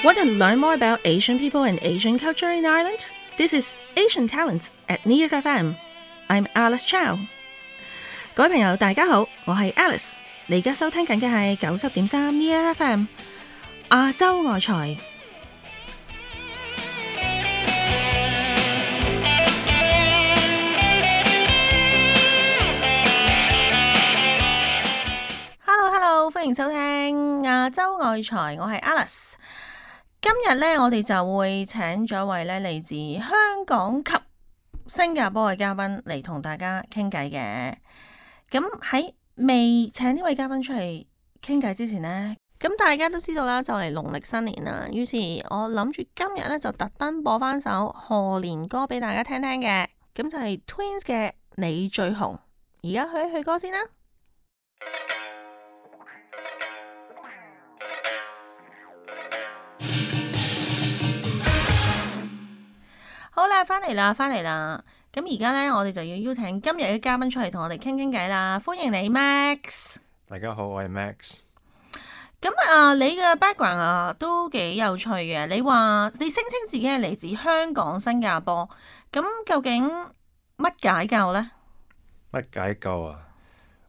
Want to learn more about Asian people and Asian culture in Ireland? This is Asian Talents at Near FM. I'm Alice Chow. 各位朋友，大家好，我係 Alice。你而家收聽緊嘅係90.3 Near FM 亞洲外財。Hello， 歡迎收聽亞洲外財，我係 Alice。今日咧，我哋就會請咗位咧嚟自香港及新加坡嘅嘉賓嚟同大家傾偈嘅。咁喺未請呢位嘉賓出嚟傾偈之前呢，咁大家都知道啦，就嚟農曆新年啦。於是我諗住今日咧就特登播翻首賀年歌俾大家聽聽嘅。咁就係 Twins 嘅《你最紅》。而家去一去歌先啦。好啦，翻嚟啦！咁而家呢，我哋就要邀請今日嘅嘉賓出嚟同我哋傾傾偈啦。歡迎你 Max。大家好，我係 Max。咁你嘅 background 都幾有趣嘅。你話你聲稱自己係嚟自香港、新加坡，咁究竟乜解救呢？乜解救啊？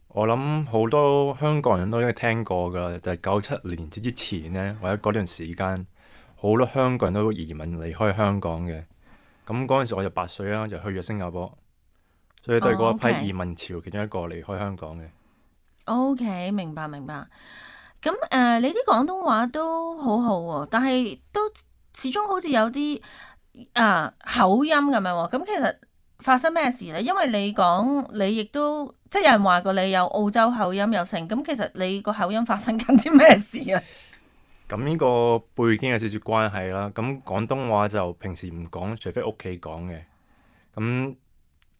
我諗好多香港人都應該聽過噶，就係97年之前呢，或者嗰段時間，好多香港人都移民離開香港嘅。咁嗰陣時我就8歲啦，就去咗新加坡，所以都係嗰一批移民潮其中一個離開香港嘅。OK， 明白。咁你啲廣東話都好好喎，但係都始終好似有啲口音咁樣喎。咁其實發生咩事呢？因為你講你亦都即係有人話過你有澳洲口音又成，咁其實你個口音發生緊啲咩事啊？咁呢個背景有少少關係啦。咁廣東話就平時唔講，除非屋企講嘅。咁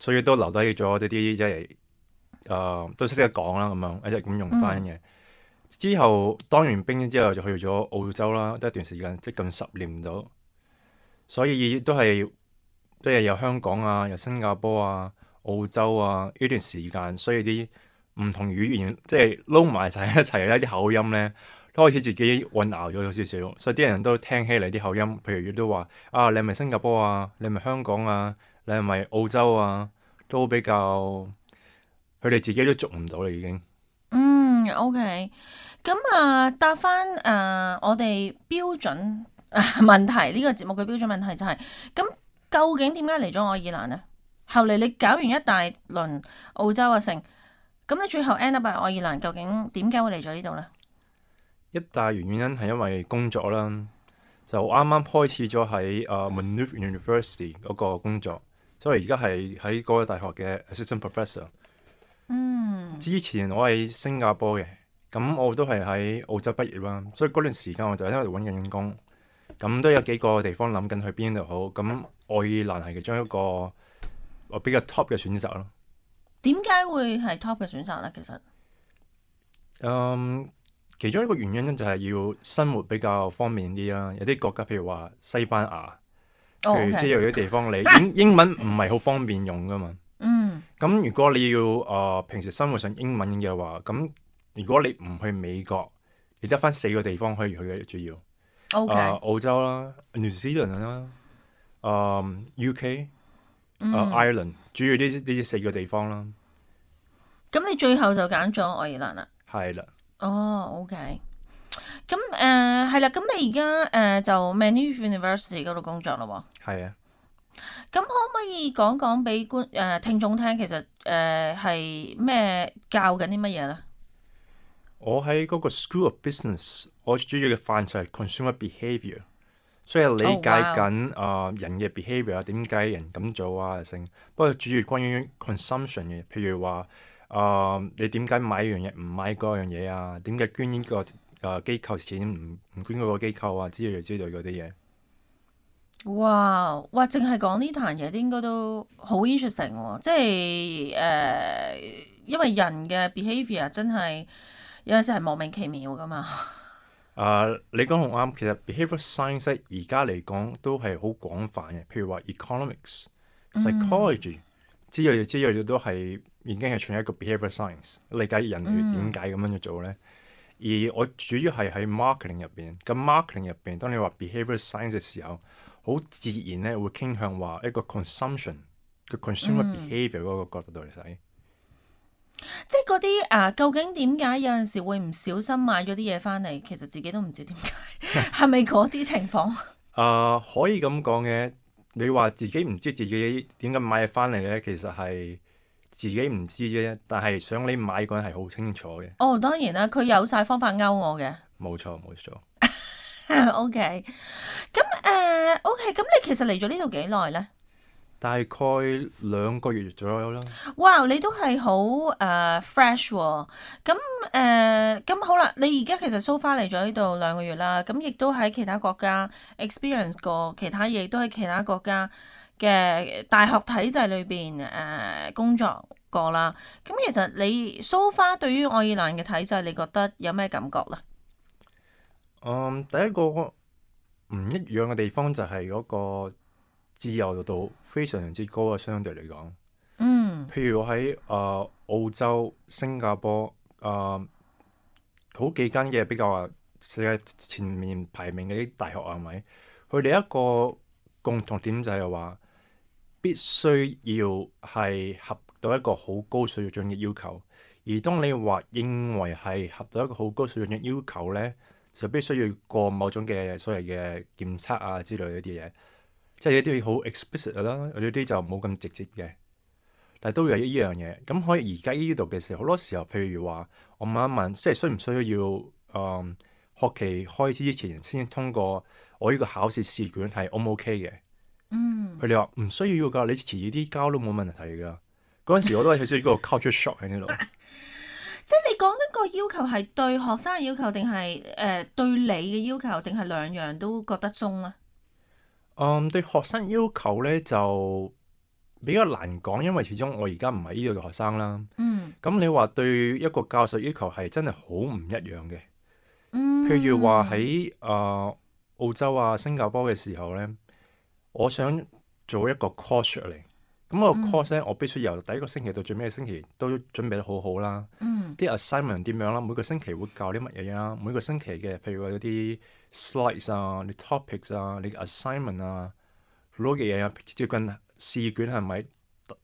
所以都留低咗呢啲即係都識得講啦，咁樣一直咁用翻嘅。之後當完兵之後就去咗澳洲啦，得一段時間，即近10年到。所以都係即係有香港啊，有新加坡啊、澳洲啊呢段時間，所以啲唔同語言即係撈埋一齊咧，啲口音咧。都開始自己混淆咗少少，所以啲人都聽起嚟啲口音，譬如都話你係咪新加坡啊？你係咪香港啊？你係咪澳洲啊？都比較佢哋自己都捉唔到啦，已經。OK。咁答翻我哋標準問題，呢個節目嘅標準問題就係咁，究竟點解嚟咗愛爾蘭呢？後嚟你搞完一大輪澳洲成，咁你最後 end up 喺愛爾蘭，究竟點解會嚟咗呢度呢？一大原因係因為工作啦，就啱啱開始咗喺Maynooth University 嗰個工作，所以而家係喺嗰個大學嘅 assistant professor。之前我係新加坡嘅，咁我都係喺澳洲畢業啦，所以嗰段時間我就喺度揾緊工，咁都有幾個地方諗緊去邊度好，咁愛爾蘭係其中一個我比較 top 嘅選擇咯。點解會係 top 嘅選擇呢？其實其中一個原因就係要生活比較方便啲啦。有啲國家譬如話西班牙，譬如即係有啲地方你英文唔係好方便用噶嘛。咁如果你要平時生活上英文嘅話，咁如果你唔去美國，你得翻4個地方可以去嘅主要。澳洲啦、New Zealand 啦、UK、Ireland， 主要呢4個地方啦。咁你最後就揀咗愛爾蘭啦？係啦。OK。咁係啦，咁你而家就 Maynooth University 嗰度工作咯喎。係啊。咁可唔可以講講俾聽眾聽，其實係咩教緊啲乜嘢咧？我喺嗰個 School of Business， 我主要嘅範疇係 consumer behaviour， 所以理解緊人嘅 behaviour， 點解人咁做啊成。不過主要關於 consumption 嘅，譬如話你點解買一樣嘢唔買嗰樣嘢啊？點解捐呢個機構錢唔捐嗰個機構啊？之類嗰啲嘢。哇！淨係講呢壇嘢，應該都好 interesting 喎。即係因為人嘅 behaviour 真係有陣時係莫名其妙噶嘛。你講好啱，其實 behaviour science 而家嚟講都係好廣泛嘅。譬如話 economics、psychology 之類都係已經係算一個 behaviour science，理解人類點解咁樣去做咧。而我主要係喺 marketing 入邊。咁 marketing 入邊，當你話 behaviour science 嘅時候，好自然咧會傾向話一個 consumption 嘅 consumer behaviour 嗰個角度嚟睇。即係嗰啲究竟點解有陣時會唔小心買咗啲嘢翻嚟，其實自己都唔知點解，係咪嗰啲情況？可以咁講嘅。你話自己唔知自己點解買嘢翻嚟咧，其實係自己唔知啫。但係想你買嗰人係好清楚嘅。哦，當然啦，佢有晒方法勾我嘅。冇錯冇錯。OK，咁OK，咁你其實嚟咗呢度幾耐咧？大概2個月左右啦。哇！你都係好fresh 喎。咁好啦，你而家其實 so far 嚟咗呢度2個月啦，咁亦都喺其他國家 experience 過其他嘢，都喺其他國家嘅大學體制裏邊工作過啦。咁其實你 so far 對於愛爾蘭嘅體制，你覺得有咩感覺咧？第一個唔一樣嘅地方就係嗰個自由度非常之高啊，相對嚟講。譬如我喺澳洲、新加坡好幾間嘅比較話世界前面排名嘅啲大學係咪？佢哋一個共同點就係話必須要係合到一個好高水準嘅要求。而當你話認為係合到一個好高水準嘅要求咧，就必須要過某種嘅所謂嘅檢測啊之類嗰啲嘢。即係有啲好 explicit 啦，有啲就冇咁直接嘅，但係都有呢樣嘢。咁可以而家呢度嘅時候，好多時候，譬如話我問一問，即係需唔需要學期開始之前先通過我呢個考試試卷係 O 唔 OK 嘅？佢哋話唔需要㗎，你遲啲交都冇問題㗎。嗰陣時我都係少少個 culture shock 喺呢度。即係你講緊個要求係對學生嘅要求，定係對你嘅要求，定係兩樣都覺得鬆啊？對學生要求咧就比較難講，因為始終我而家唔係呢度嘅學生啦。咁你話對一個教授要求係真係好唔一樣嘅。譬如話喺澳洲啊、新加坡嘅時候咧，我想做一個 course 出嚟。咁個 course 咧，我必須由第一個星期到最尾嘅星期都準備得好好啦。啲 assignment 點樣啦？每個星期會教啲乜嘢啊？每個星期嘅，譬如話有啲 slides 啊、你 topics 啊、你 assignment 啊，好多嘅嘢啊，接近試卷係咪？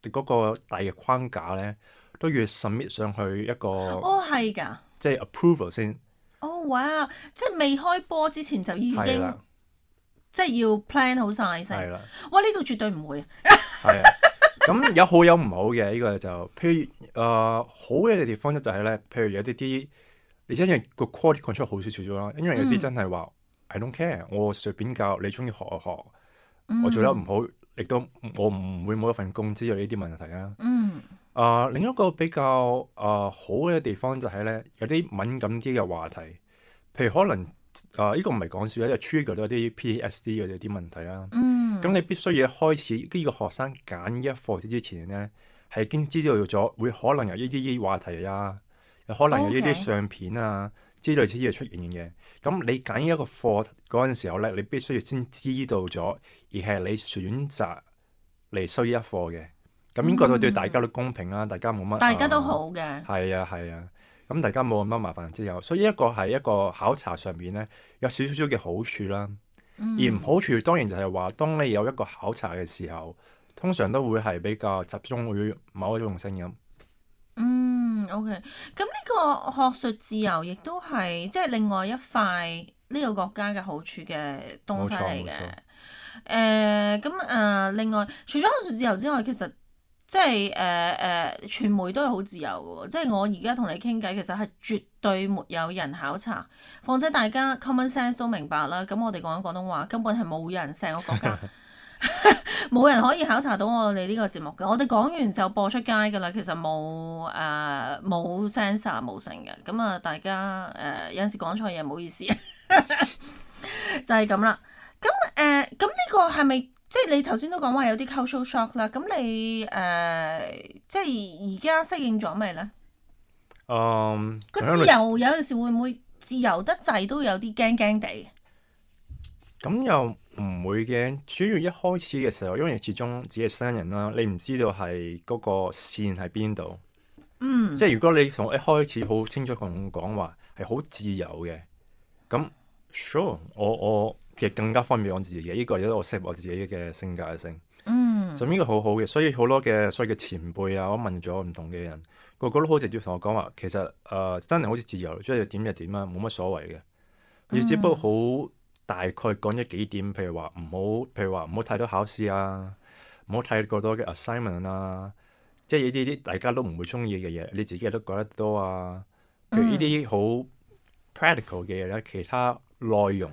嗰個大嘅框架咧，都要 submit 上去一個。哦，係㗎。即係 approval 先。哦，哇！即係未開波之前就已經，即係要 plan 好晒先。係啦。哇！呢度絕對唔會。係啊。咁有好有唔好嘅，呢個就譬如好嘅地方就係咧，譬如有啲你真係個 quality control 好少少啦，因為有啲真係話 I don't care，我隨便教，你中意學就學，我做得唔好，亦都我唔會冇一份工之類呢啲問題啊。另一個比較好嘅地方就係咧，有啲敏感啲嘅話題，譬如可能呢個唔係講笑，因為 trigger 到一啲 PTSD 嘅啲問題啦。咁你必須要開始呢個學生揀呢一課之前咧，係已經知道咗會可能有呢啲話題啊，有可能有呢啲相片啊之類之類出現嘅。咁你揀呢一個課嗰陣時候咧，你必須要先知道咗，而係你選擇嚟修呢一課嘅。咁應該都對大家都公平啦，大家冇乜，大家都好嘅。係啊係啊，咁大家冇咁多麻煩之後，所以一個係一個考察上面咧有少少嘅好處啦。而唔好處當然就係話，當你有一個考察嘅時候，通常都會係比較集中於某一種聲音。OK。咁呢個學術自由亦都係即係另外一塊呢個國家嘅好處嘅東西嚟嘅。另外除咗學術自由之外，其實即係傳媒都係好自由嘅喎。即係我而家同你傾偈，其實係絕對沒有人考察，況且大家 common sense 都明白啦。咁我哋講緊廣東話，根本係冇人成個國家冇人可以考察到我哋呢個節目嘅。我哋講完就播出街㗎啦。其實冇censor 冇成嘅。咁啊，大家有陣時講錯嘢唔好意思，就係咁啦。咁呢個係咪？即係你頭先都講話有啲 cultural shock 啦，咁你即係而家適應咗未咧？個自由有陣時會唔會自由得滯都有啲驚驚地？咁又唔會嘅，主要一開始嘅時候，因為始終自己係新人啦，你唔知道係嗰個線喺邊度。即係如果你同我一開始好清楚同我講話係好自由嘅。咁 sure，我其實更加方便我自己嘅，呢個亦都我適合我自己嘅性格性。就呢個好好嘅，所以好多嘅所謂嘅前輩啊，我問咗唔同嘅人，個個都好直接同我講話，其實真係好似自由，中意點就點啊，冇乜所謂嘅。你只不過好大概講咗幾點，譬如話唔好太多考試啊，唔好太過多嘅 assignment 啊，即係呢啲大家都唔會中意嘅嘢，你自己都覺得多啊。譬如呢啲好 practical 嘅嘢咧，其他內容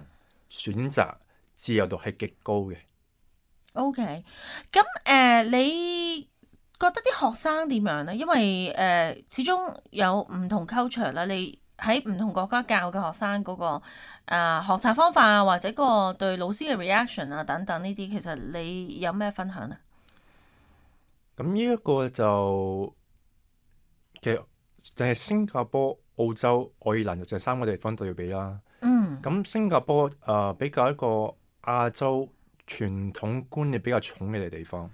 選擇自由度係極高嘅。OK，咁你覺得啲學生點樣咧？因為始終有唔同 culture 啦，你喺唔同國家教嘅學生嗰個學習方法啊，或者個對老師嘅 reaction 啊等等呢啲，其實你有咩分享啊？咁呢一個其實就係新加坡、澳洲、愛爾蘭就三個地方對比啦。咁新加坡比較一個亞洲傳統觀念比較重嘅地方，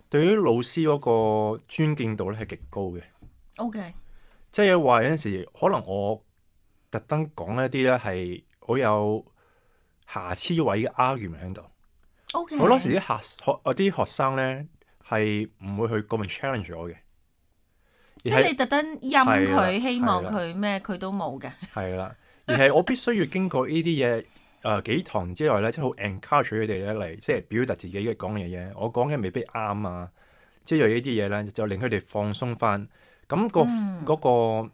對於老師嗰個尊敬度咧係極高嘅。OK，即係話有陣時可能我特登講一啲咧係好有瑕疵位嘅 argument 喺度。OK，好多時啲學生咧係唔會去咁樣 challenge 我嘅，即係你特登陰佢，希望係佢咩佢都冇嘅。係啦，而係我必須要經過呢啲嘢幾堂之內咧，即係好 encourage 佢哋咧嚟，即係表達自己嘅講嘅嘢。我講嘅未必啱啊，即係呢啲嘢咧就令佢哋放鬆翻。咁嗰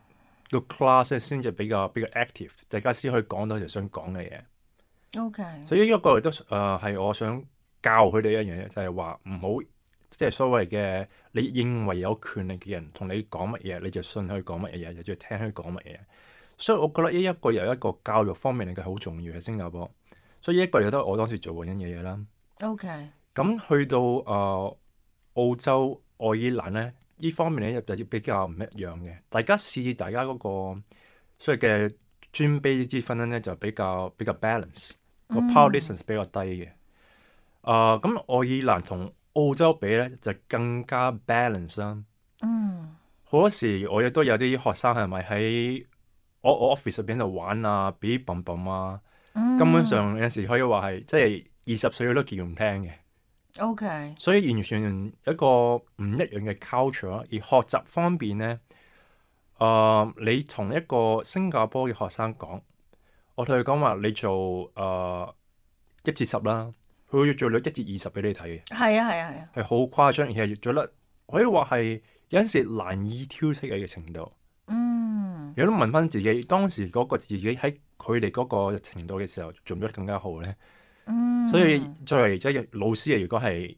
個 class 先至比較 active，大家先可以講到就想講嘅嘢。OK，所以呢一個亦都係我想教佢哋一樣嘢，就係話唔好即係所謂嘅你認為有權力嘅人同你講乜嘢，你就信佢講乜嘢，就要聽佢講乜嘢。所以我覺得呢一個由一個教育方面嚟嘅好重要喺新加坡。所以呢一個亦都係我當時做緊嘅嘢啦。OK，咁去到澳洲、愛爾蘭咧，呢方面咧就比較唔一樣嘅。大家大家嗰個所謂嘅尊卑之分咧就比較 balance，個 power distance 比較低嘅。咁愛爾蘭同澳洲比咧就更加 balance 啦。好多時我亦都有啲學生係咪喺我 office 入邊度玩啊，比bomb bomb 啊，根本上有時可以話係即係20歲都叫唔聽嘅。OK，所以完全一個唔一樣嘅 culture。而學習方面咧，你同一個新加坡嘅學生講，我同佢講話你做1至10啦，佢會做到1至20俾你睇嘅。係啊，係好誇張，而係做得可以話係有陣時難以挑剔嘅程度。有都問翻自己，當時嗰個自己喺佢哋嗰個程度嘅時候，做唔做得更加好咧？所以作為即係老師，如果係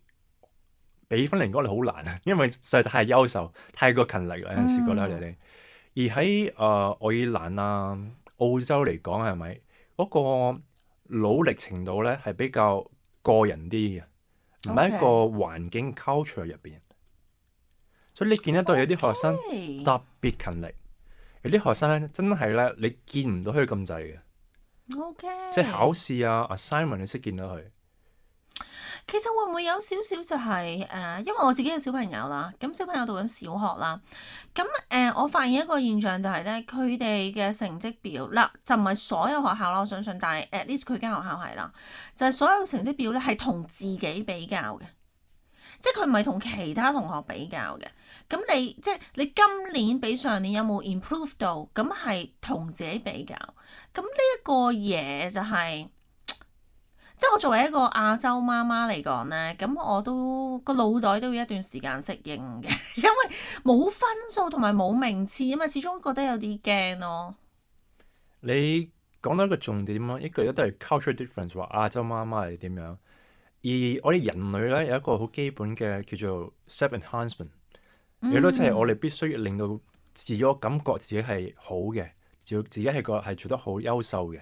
俾分嚟講，你好難啊，因為實在太優秀、太過勤力啦。有陣時覺得你哋，而喺愛爾蘭啊、澳洲嚟講，係咪嗰個努力程度咧係比較個人啲嘅，唔係一個環境 culture 入邊。所以你見得到有啲學生特別勤力。有啲學生咧，真係咧，你見唔到佢咁滯嘅。OK，即係考試啊 assignment 你識見到佢。其實會唔會有少少就係因為我自己有小朋友啦，咁小朋友讀緊小學啦，咁我發現一個現象就係咧，佢哋嘅成績表嗱就唔係所有學校啦，我相信，但係 at least 佢間學校係啦，就係所有成績表咧係同自己比較嘅。即係佢唔係同其他同學比較嘅，咁你今年比上年有冇 improve 到？咁係同自己比較，咁呢一個嘢就係，即係我作為一個亞洲媽媽嚟講咧，咁我都個腦袋都要一段時間適應嘅，因為冇分數同埋冇名次啊嘛，始終覺得有啲驚咯。你講到一個重點咯，一個都係 culture difference，話亞洲媽媽係點樣？而我哋人類咧有一個好基本嘅叫做 self enhancement，亦都即係我哋必須要令到自我感覺自己係好嘅，自己係做得好優秀嘅。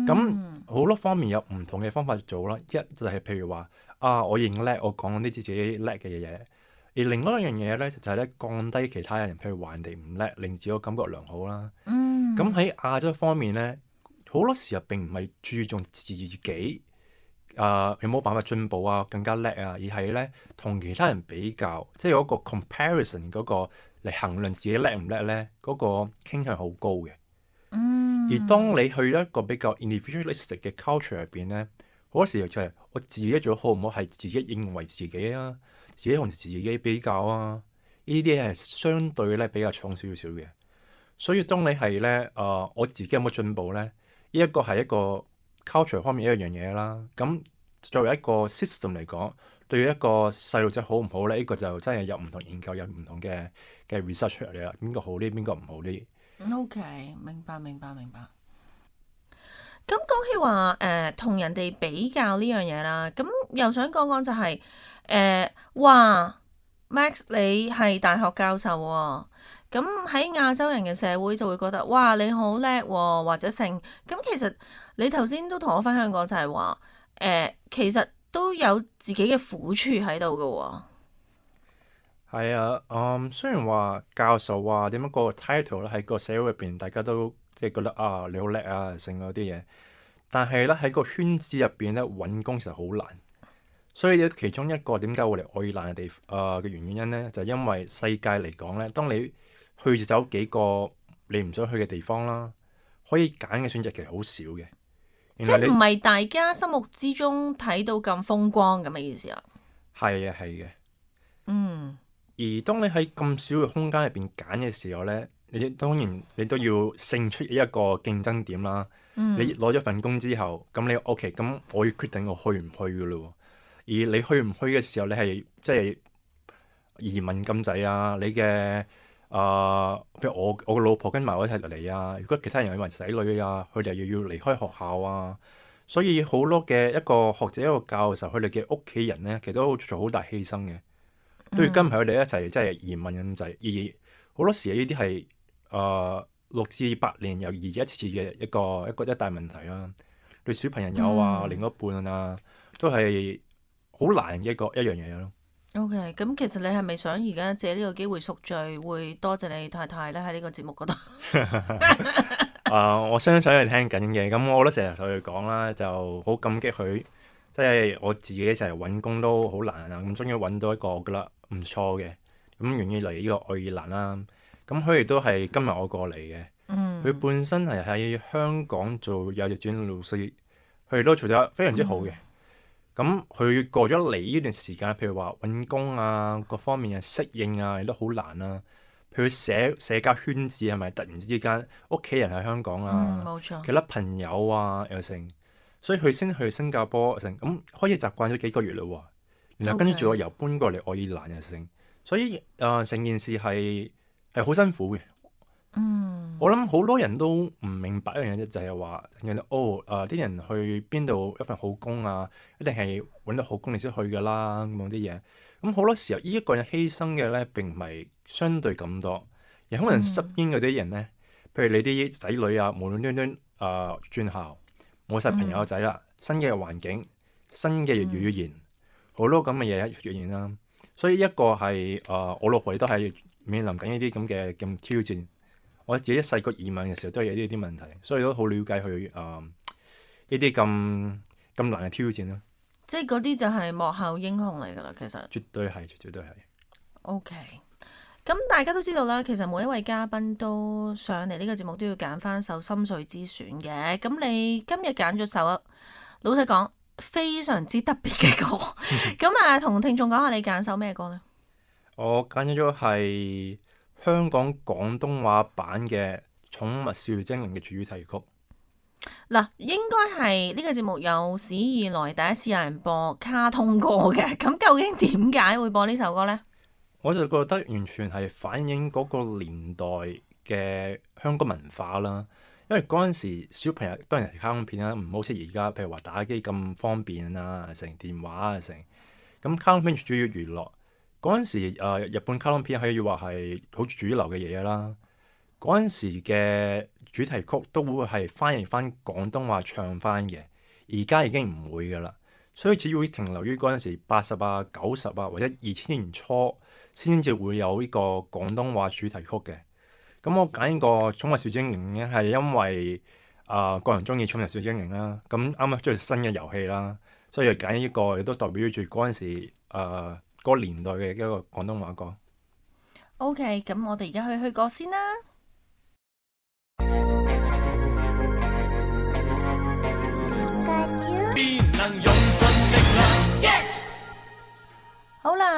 咁好多方面有唔同嘅方法做啦。一就係譬如話我認叻，我講呢啲自己叻嘅嘢。而另外一樣嘢咧就係咧降低其他人，譬如話人哋唔叻，令自我感覺良好啦。咁喺亞洲方面咧，好多時候並唔係注重自己。有冇辦法進步啊？更加叻啊！而係咧同其他人比較，即係有一個 comparison 嗰個嚟衡量自己叻唔叻咧，嗰個傾向好高嘅。而當你去一個比較 individualistic 嘅 culture 入邊咧，好多時候就係我自己做得好唔好係自己認為自己啊，自己同自己比較啊，呢啲係相對咧比較重少少嘅。所以當你係咧我自己有冇進步咧？呢一個係一個 culture 方面一樣嘢啦。咁作為一個 system 嚟講，對於一個細路仔好唔好咧？呢個就真係有唔同研究，有唔同嘅 research 出嚟啦。邊個好啲，邊個唔好啲。OK，明白。咁講起話同人哋比較呢樣嘢啦，咁又想講講就係話 Max 你係大學教授喎，咁喺亞洲人嘅社會就會覺得哇你好叻喎，或者成咁。其實你頭先都同我分享過就係話其實都有自己嘅苦處喺度嘅喎。係啊，雖然話教授話點樣個 title 咧喺個社會入邊，大家都即係覺得啊你好叻啊，成嗰啲嘢。但係咧喺個圈子入邊咧揾工其實好難，所以其中一個點解會嚟愛爾蘭嘅原因咧，就係因為世界嚟講咧，當你去走幾個你唔想去嘅地方啦，可以揀嘅選擇其實好少嘅。即係唔係大家心目之中睇到咁風光咁嘅意思啊？係嘅。嗯。而當你喺咁少嘅空間入邊揀嘅時候咧，當然你都要勝出一個競爭點啦。你攞咗份工之後，咁你 OK，咁我要決定我去唔去㗎咯。而你去唔去嘅時候，你係即係移民咁滯啊？你嘅譬如我個老婆跟埋我一齊嚟啊。如果其他人有埋仔女啊，佢哋又要離開學校啊。所以好多嘅一個學者一個教授，佢哋嘅屋企人咧，其實都做好大犧牲嘅，都要跟埋佢哋一齊即係移民咁滯。而好多時呢啲係6至8年又移一次嘅一個大問題啦。對小朋友啊、另一半啊，都係好難嘅一樣嘢咯。OK，咁其實你係咪想而家借呢個機會贖罪，會多謝你太太咧喺呢個節目嗰度？我相信佢聽緊嘅，咁我都成日同佢講啦，就好感激佢。即係我自己成日揾工都好難啊，咁終於揾到一個我覺得唔錯嘅，咁願意嚟呢個愛爾蘭啦。咁佢亦都係今日我過嚟嘅。佢本身係喺香港做幼稚園老師，佢哋都做得非常之好嘅。咁佢過咗嚟呢段時間，譬如話揾工啊，各方面嘅適應啊，亦都好難啊。譬如社交圈子係咪突然之間屋企人喺香港啊，冇錯，其他朋友啊又成，所以佢先去新加坡成，咁開始習慣咗幾個月嘞喎。然後跟住我又搬過嚟愛爾蘭又成，所以成件事係好辛苦嘅。我諗好多人都唔明白一樣嘢，就係話啲人去邊度一份好工啊，一定係揾到好工你先去噶啦咁啲嘢。咁好多時候呢一個人犧牲嘅咧並唔係相對咁多，而可能側邊嗰啲人咧，譬如你啲仔女啊，無端端轉校，冇晒朋友仔啦，新嘅環境、新嘅語言，好多咁嘅嘢出現啦。所以一個係我老婆亦都係面臨緊呢啲咁嘅挑戰。我自己一細個移民嘅時候都係有呢啲問題，所以都好了解佢呢啲咁難嘅挑戰啦。即係嗰啲就係幕後英雄嚟㗎啦，其實。絕對係。OK，咁大家都知道啦，其實每一位嘉賓都上嚟呢個節目都要揀翻首心水之選嘅。咁你今日揀咗首，老實講非常之特別嘅歌。咁同聽眾講下你揀首咩歌呢？我揀咗係香港廣東話版嘅《寵物小精靈》嘅主題曲。嗱，應該係呢個節目有史以來第一次有人播卡通歌嘅。咁究竟點解會播呢首歌呢？我就覺得完全係反映嗰個年代嘅香港文化啦。因為嗰陣時小朋友當然係卡通片啦，唔好似而家譬如話打機咁方便啊，成電話啊成。咁卡通片主要娛樂。嗰陣時日本卡通片可以話係好主流嘅嘢啦。嗰陣時嘅主題曲都會係翻譯翻廣東話唱翻嘅，而家已經唔會噶啦。所以只會停留於嗰陣時80啊、90啊或者2000年初先至會有呢個廣東話主題曲嘅。咁我揀呢個寵物小精靈咧，係因為個人中意寵物小精靈啦。咁啱啱出新嘅遊戲啦，所以就揀呢個亦都代表住嗰陣時嗰個年代嘅一個廣東話歌。OK，咁我哋而家去歌先啦。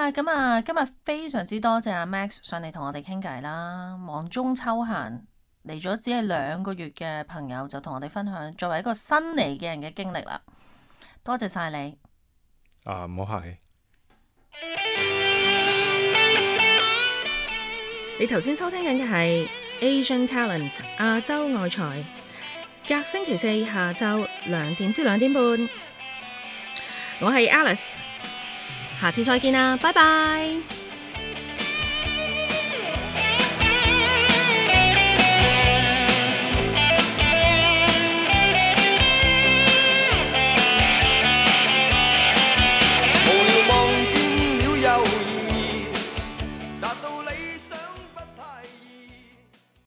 啦，咁啊，今日非常之多謝阿 Max 上嚟同我哋傾偈啦。忙中抽閒嚟咗只係2個月嘅朋友，就同我哋分享作為一個新嚟嘅人嘅經歷啦。多謝晒你。唔好客氣。你頭先收聽緊嘅係 Asian Talent 亞洲愛才，隔星期四下晝2點至2點半。我係 Alice，下次再見啦，拜拜。